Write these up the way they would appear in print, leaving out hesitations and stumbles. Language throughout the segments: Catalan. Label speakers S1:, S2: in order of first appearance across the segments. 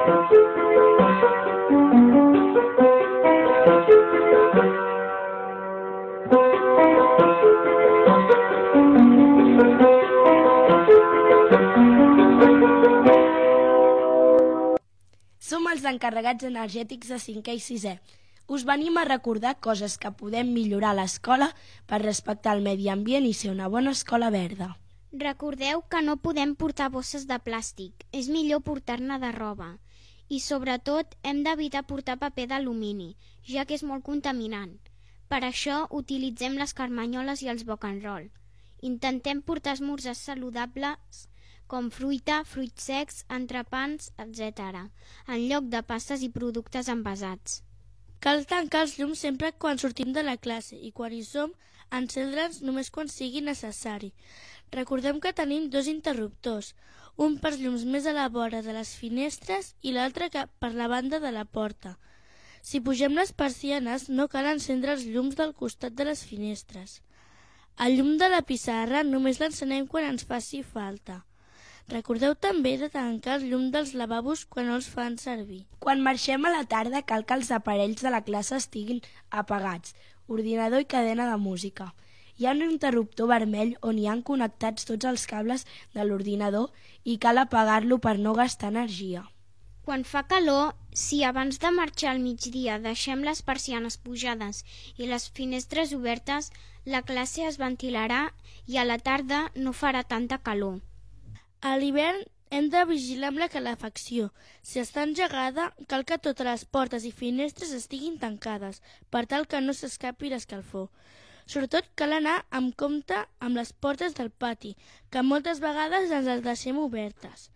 S1: Som els encarregats energètics de 5è i 6è. Us venim a recordar coses que podem millorar a l'escola per respectar el medi ambient i ser una bona escola verda.
S2: Recordeu que no podem portar bosses de plàstic, és millor portar-ne de roba. I sobretot hem d'evitar portar paper d'alumini, ja que és molt contaminant. Per això utilitzem les carmanyoles i els boc and roll. Intentem portar esmorzars saludables com fruita, fruits secs, entrepans, etc., en lloc de pastes i productes envasats.
S3: Cal tancar els llums sempre quan sortim de la classe i quan hi som, encendre'ls només quan sigui necessari. Recordem que tenim 2 interruptors, un pels llums més a la vora de les finestres i l'altre per la banda de la porta. Si pugem les persianes, no cal encendre els llums del costat de les finestres. El llum de la pissarra només l'encenem quan ens faci falta. Recordeu també de tancar el llum dels lavabos quan no els fan servir.
S1: Quan marxem a la tarda cal que els aparells de la classe estiguin apagats, ordinador i cadena de música. Hi ha un interruptor vermell on hi han connectats tots els cables de l'ordinador i cal apagar-lo per no gastar energia.
S2: Quan fa calor, si abans de marxar al migdia deixem les persianes pujades i les finestres obertes, la classe es ventilarà i a la tarda no farà tanta calor.
S3: A l'hivern hem de vigilar amb la calefacció. Si està engegada, cal que totes les portes i finestres estiguin tancades, per tal que no s'escapi l'escalfor. Sobretot cal anar amb compte amb les portes del pati, que moltes vegades ens les deixem obertes.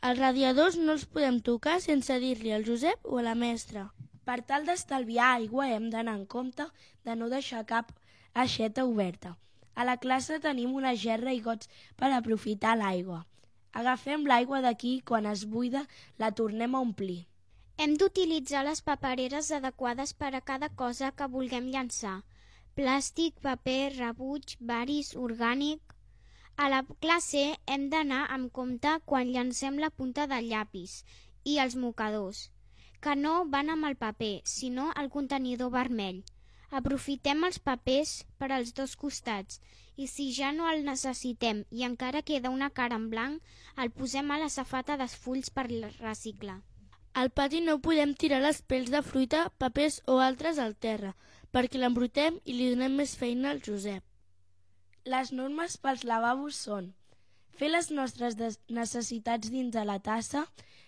S3: Els radiadors no els podem tocar sense dir-li al Josep o a la mestra.
S1: Per tal d'estalviar aigua hem d'anar en compte de no deixar cap aixeta oberta. A la classe tenim una gerra i gots per aprofitar l'aigua. Agafem l'aigua d'aquí i quan es buida la tornem a omplir.
S2: Hem d'utilitzar les papereres adequades per a cada cosa que vulguem llançar. Plàstic, paper, rebuig, varis, orgànic. A la classe hem d'anar amb compte quan llancem la punta del llapis i els mocadors, que no van amb el paper, sinó el contenidor vermell. Aprofitem els papers per als 2 costats i si ja no el necessitem i encara queda una cara en blanc, el posem a la safata dels fulls per reciclar.
S3: Al pati no podem tirar les pels de fruita, papers o altres al terra, perquè l'embrutem i li donem més feina al Josep.
S1: Les normes pels lavabos són fer les nostres necessitats dins de la tassa,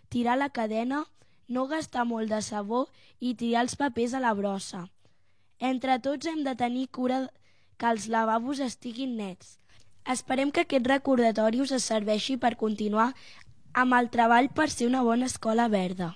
S1: tirar la cadena, no gastar molt de sabó i tirar els papers a la brossa. Entre tots hem de tenir cura que els lavabos estiguin nets. Esperem que aquest recordatori us serveixi per continuar amb el treball per ser una bona escola verda.